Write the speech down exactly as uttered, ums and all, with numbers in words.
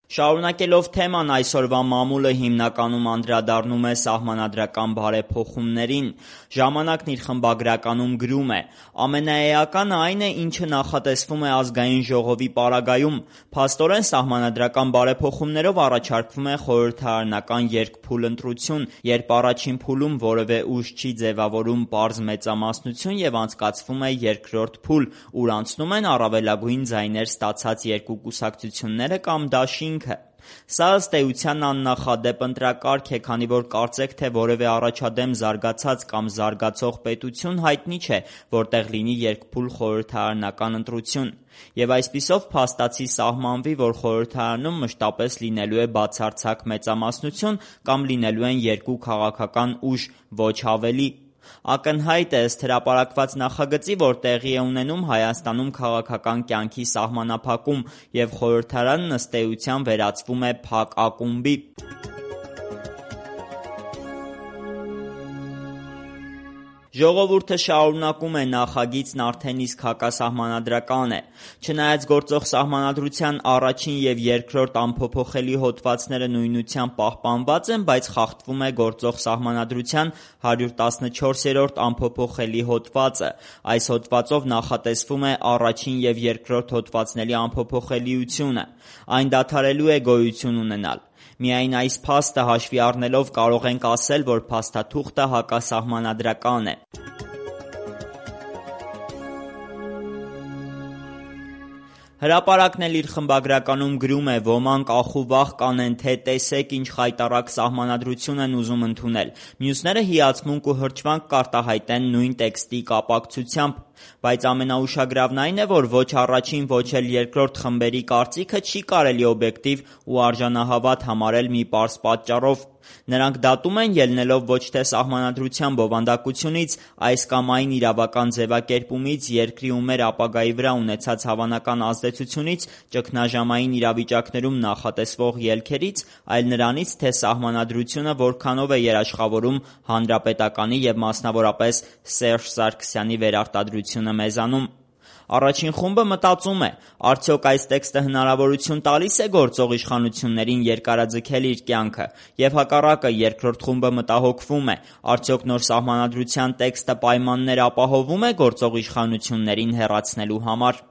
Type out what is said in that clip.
Շարունակելով թեման, այսօրվա մամուլը հիմնականում անդրադառնում է սահմանադրական բարեփոխումներին։ Ժամանակն իր խմբագրականում գրում է. «Ամենաէականը այն է, ինչը նախատեսվում է ազգային ժողովի պարագայում։ Փաստորեն սահմանադրական բարեփոխումներով առաջարկվում է խորհրդարանական երկփուլ ընտրություն, երբ առաջին փուլում որևէ ուժ չի ձևավորում պարզ մեծամասնություն և անցկացվում է երկրորդ փուլ, ուր անցնում են առավելագույն ձայներ ստացած երկու կուսակցությունները կամ դաշինքը։ Սա ըստ էության աննախադեպ ընտրակարգ է, քանի որ կարծեք թե որևէ առաջադեմ զարգացած կամ զարգացող պետություն հայտնի չէ, որտեղ լինի երկփուլ խորհրդարանական ընտրություն։ Եվ այսպիսով փաստացի սահմանվի, որ խորհրդարանում մշտապես լինելու է բացարձակ մեծամասնություն կամ լինելու են երկու քաղաքական ուժ, ոչ ավելի։ Ակնհայտ է ըստ հրապարակված նախագծի, որ տեղի է ունենում Հայաստանում քաղաքական կյանքի սահմանափակում, և խորհրդարանն ըստ էության վերածվում է փակ ակումբի։ Ժողովուրդը շարունակում է. նախագիծն արդեն իսկ հակասահմանադրական է։ Չնայած գործող սահմանադրության առաջին և երկրորդ անփոփոխելի հոդվածները նույնությամբ պահպանված են, բայց խախտվում է գործող սահմանադրության հարյուր տասնչորսերորդ անփոփոխելի հոդվածը։ Այս հոդվածով նախատեսվում է առաջին և երկրորդ հոդվածների անփոփոխելիությունը։ Այն դադարելու է գոյություն ունենալ։ Միայն այս փաստը հաշվի առնելով կարող ենք ասել, որ փաստաթուղթը հակասահմանադրական է։ Հրապարակն էլ իր խմբագրականում գրում է. «Ոմանք ախուվախ կանեն, թե տեսեք ինչ խայտառակ սահմանադրություն են ուզում ընդունել, մյուսները հիացմունք ու հրճվանք կարտահայտեն նույն տեքստի կապակցությամբ։ Բայց ամենաուշագրավն այն է, որ ոչ առաջին, ոչ էլ երկրորդ խմբերի կարծիքը չի կարելի օբյեկտիվ ու արժանահավատ համարել մի պարզ պատճառով. նրանք դատում են, ելնելով ոչ թե սահմանադրության բովանդակությունից, այս կամ այն իրավական ձևակերպումից, երկրի ու մեր ապագայի վրա ունեցած հավանական ազդեցությունից, ճգնաժամային իրավիճակներում նախատեսվող ելքերից, այլ նրանից, թե սահմանադրությունը որքանով է երաշխավորում Հանրապետականի և մասնավորապես Սերժ Սարգսյանի վերարտադրությունը մեզանում։ Առաջին խումբը մտածում է. արդյոք այս տեքստը հնարավորություն տալի՞ս է գործող իշխանություններին երկարաձգել իր կյանքը, և հակառակը, երկրորդ խումբը մտահոգվում է. արդյոք նոր սահմանադրության տեքստը պայմաններ ապահովում է գործող իշխանություններին հեռացնելու համար։